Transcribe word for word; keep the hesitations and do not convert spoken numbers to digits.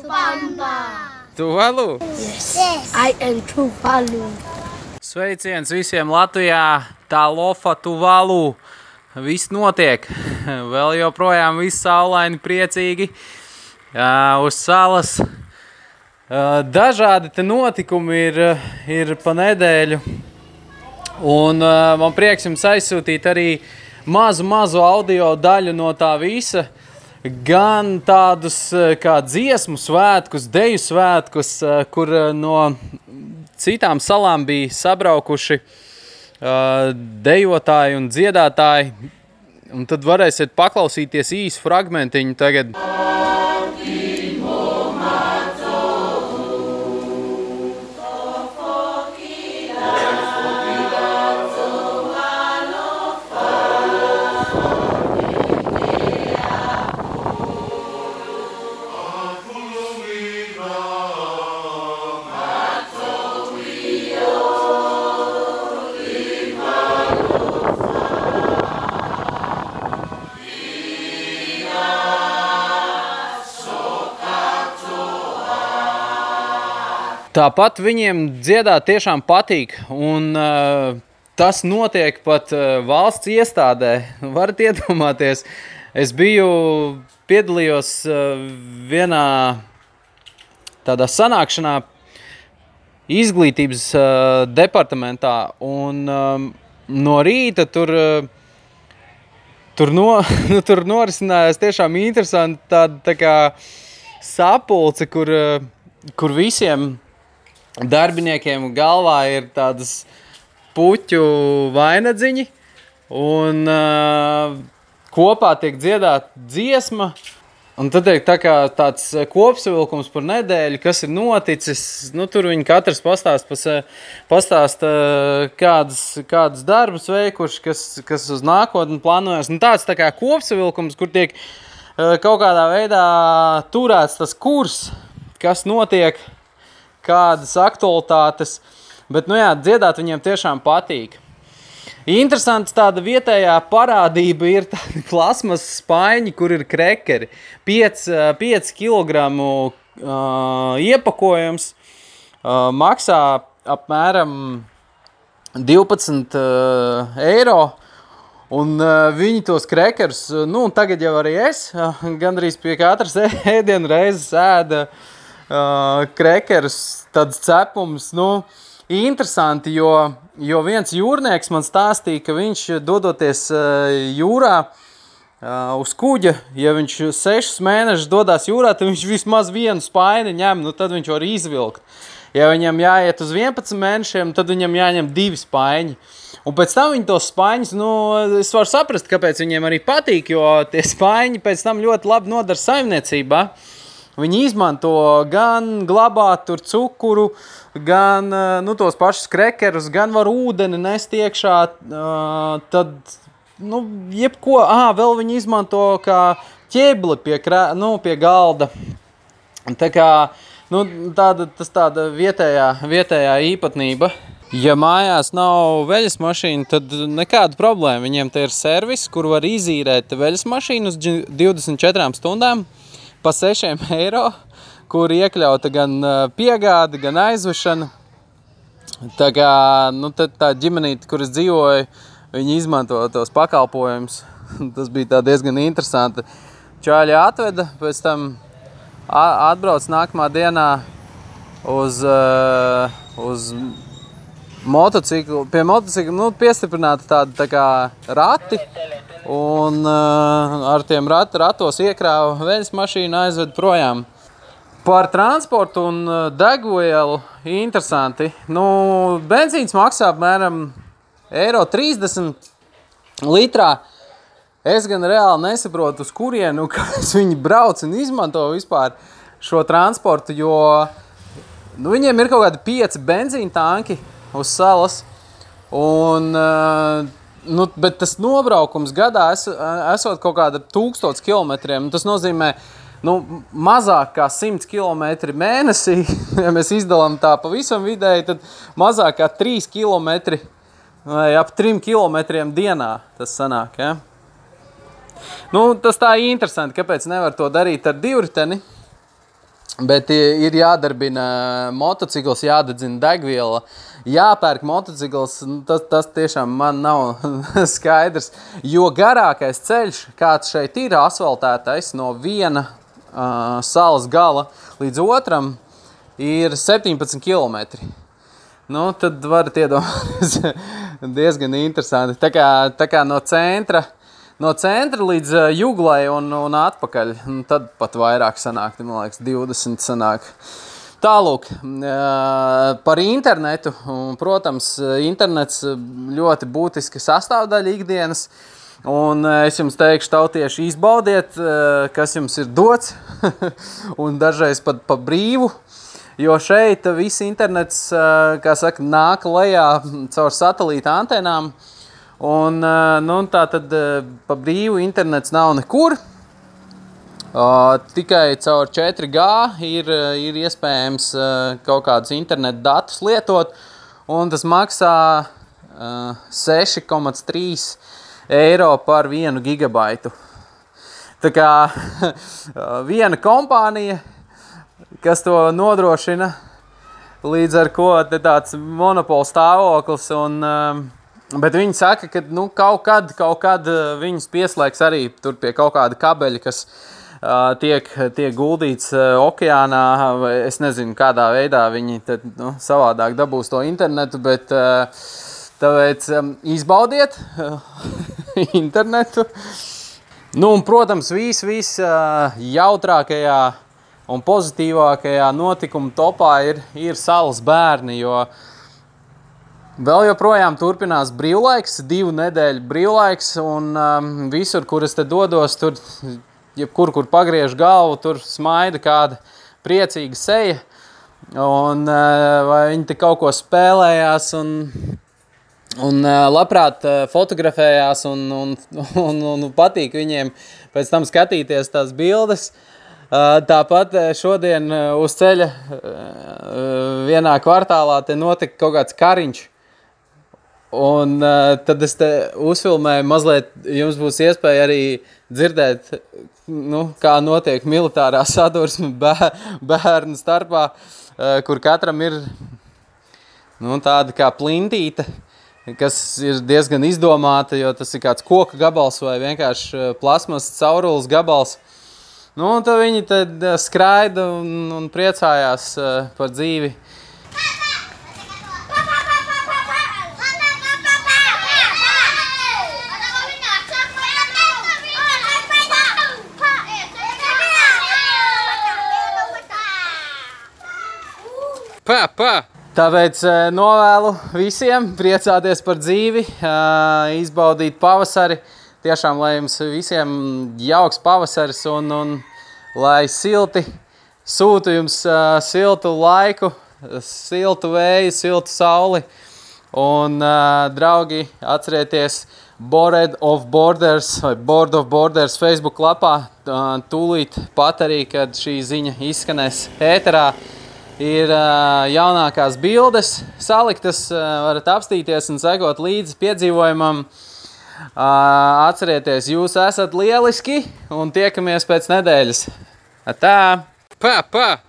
Tupamba. Tuvalu? Yes. Yes. I am Tuvalu. Sveiciens visiem Latvijā, tā lofa Tuvalu. Viss notiek. Vēl joprojām viss saulaini, priecīgi. Uh, uz salas. Uh, dažādi te notikumi ir, ir pa nedēļu. Un uh, man prieks jums aizsūtīt arī mazu, mazu audio daļu no tā visa. Gan tādus kā dziesmu svētkus, deju svētkus, kur no citām salām bija sabraukuši uh, dejotāji un dziedātāji. Un tad varēsiet paklausīties īsu fragmentiņu tagad. Tāpat viņiem dziedāt tiešām patīk, un uh, tas notiek pat uh, valsts iestādē. Varat iedomāties, es biju, piedalījos uh, vienā tādā sanākšanā izglītības uh, departamentā, un um, no rīta tur, uh, tur, no, nu, tur norisinājās tiešām interesanti tāda tā kā sapulce, kur, uh, kur visiem darbiniekiem galvā ir tādas puķu vainadziņi, un uh, kopā tiek dziedāta dziesma, un tad ir tā kā tāds kopsavilkums par nedēļu, kas ir noticis. Nu, tur viņi katrs pastāst, pastāst kādas, kādas darbus veikuši, kas, kas uz nākotni plānojas. Un tāds tā kā kopsavilkums, kur tiek uh, kaut kādā veidā turēts tas kurs, kas notiek, kādas aktualitātes, bet, nu jā, dziedāt viņiem tiešām patīk. Interesants tāda vietējā parādība ir tādi plasmas spaiņi, kur ir krekeri. pieci kilogramu uh, iepakojums uh, maksā apmēram divpadsmit uh, eiro, un uh, viņi tos krekerus, nu, tagad jau arī es, uh, gandrīz pie katras ēdienu reizes ēda Uh, krekerus, tāds cepums, nu, interesanti, jo, jo viens jūrnieks man stāstīja, ka viņš dodoties uh, jūrā uh, uz kuģa, ja viņš sešus mēnešus dodās jūrā, tad viņš vismaz vienu spaini ņem, nu, tad viņš var izvilkt. Ja viņam jāiet uz vienpadsmit mēnešiem, tad viņam jāņem divi spaiņi. Un pēc tam viņi tos spaiņus, nu, es varu saprast, kāpēc viņiem arī patīk, jo tie spaiņi pēc tam ļoti labi nodara saimniecībā. Viņi izmanto gan glabāt tur cukuru, gan nu, tos pašus krekerus, gan var ūdeni nest iekšā, uh, tad, nu, jebko, ā, vēl viņi izmanto kā ķebli pie, krā, nu, pie galda. Tā kā, nu, tāda, tas tāda vietējā, vietējā īpatnība. Ja mājās nav veļas mašīna, tad nekāda problēma. Viņiem te ir servis, kur var izīrēt veļas mašīnu uz divdesmit četrām stundām. Pa sešiem eiro, kur iekļauta gan piegāde, gan aizvešana. Tā kā, nu, tā ģimenīte, kur es dzīvoju, viņi izmanto tos pakalpojumus. Tas bija tā diezgan interesanti. Čāļi atveda, pēc tam atbrauc nākamā dienā uz, uz motociklu. Pie motocikla, nu, piestiprināta tāda tā kā rati. Un uh, ar tiem rat, ratos iekrāva veļas mašīnu, aizved projām. Par transportu un uh, degvielu interesanti. Nu, benzīns maksā apmēram eiro trīsdesmit litrā. Es gan reāli nesaprotu, uz kurienu, kāpēc viņi brauc un izmanto vispār šo transportu, jo nu, viņiem ir kaut kādi pieci benzīna tanki uz salas. Un uh, Nu, bet tas nobraukums gadā es, esot kaut kāda tūkstots kilometriem. Tas nozīmē nu, mazāk kā simts kilometri mēnesī. Ja mēs izdalām tā pavisam vidēji, tad mazāk kā trīs kilometri vai ap trim kilometriem dienā tas sanāk. Ja? Nu, tas tā interesanti, kāpēc nevar to darīt ar divriteni. Bet ir jādarbina motocikls, jādedzina degviela, jāpērk motocikls. Tas, tas tiešām man nav skaidrs. Jo garākais ceļš, kāds šeit ir asfaltētais no viena uh, salas gala līdz otram, ir septiņpadsmit kilometri. Nu, tad varat iedomāties diezgan interesanti. Tā kā, tā kā no centra. No centra līdz uh, Juglai un, un atpakaļ, un tad pat vairāk sanāk, man liekas, divdesmit sanāk. Tālūk, uh, par internetu, un, protams, internets ļoti būtiska sastāvdaļa ikdienas, un uh, es jums teikšu, tautieši, izbaudiet, uh, kas jums ir dots, un dažreiz pat pa brīvu, jo šeit viss internets, uh, kā saka, nāk lejā caur satelīta antenām. Un, nu, tā tad pa brīvu internets nav nekur. Uh, tikai caur četri G ir, ir iespējams uh, kaut kādus internetu datus lietot. Un tas maksā uh, seši komats trīs eiro par vienu gigabaitu. Tā kā viena kompānija, kas to nodrošina, līdz ar ko te tāds monopola stāvoklis un... Um, Bet viņi saka, ka nu, kaut kad, kaut kad viņus pieslēgs arī tur pie kaut kāda kabeļa, kas uh, tiek, tiek guldīts uh, okeānā. Es nezinu, kādā veidā viņi tad, nu, savādāk dabūs to internetu, bet uh, tāpēc um, izbaudiet uh, internetu. Nu, un, protams, vis, vis uh, jautrākajā un pozitīvākajā notikuma topā ir, ir salas bērni, jo vēl joprojām turpinās brīvlaiks, divu nedēļu brīvlaiks, un um, visur, kur es te dodos, tur, jebkur, kur pagriežu galvu, tur smaida kāda priecīga seja, un uh, vai viņi te kaut ko spēlējās, un, un uh, labprāt uh, fotografējās, un, un, un, un patīk viņiem pēc tam skatīties tās bildes. Uh, tāpat šodien uh, uz ceļa uh, vienā kvartālā te notika kaut kāds kariņš. Un uh, tad es te uzfilmēju mazliet, jums būs iespēja arī dzirdēt, nu, kā notiek militārā sadursme bērnu starpā, uh, kur katram ir nu, tāda kā plintīte, kas ir diezgan izdomāta, jo tas ir kāds koka gabals vai vienkārši plasmas caurules gabals. Nu, un tad viņi tad skraida un, un priecājās uh, par dzīvi. Pā, pā. Tāpēc novēlu visiem priecāties par dzīvi, izbaudīt pavasari. Tiešām, lai jums visiem jauks pavasaris un, un lai silti, sūtu jums siltu laiku, siltu vēju, siltu sauli. Un, draugi, atcerieties Bored of Borders vai Bored of Borders Facebook lapā. Tūlīt pat arī, kad šī ziņa izskanēs ēterā. Ir uh, jaunākās bildes saliktas, uh, varat apstīties un sekot līdzi piedzīvojumam. Uh, atcerieties, jūs esat lieliski un tiekamies pēc nedēļas. Atā! Pā, pā!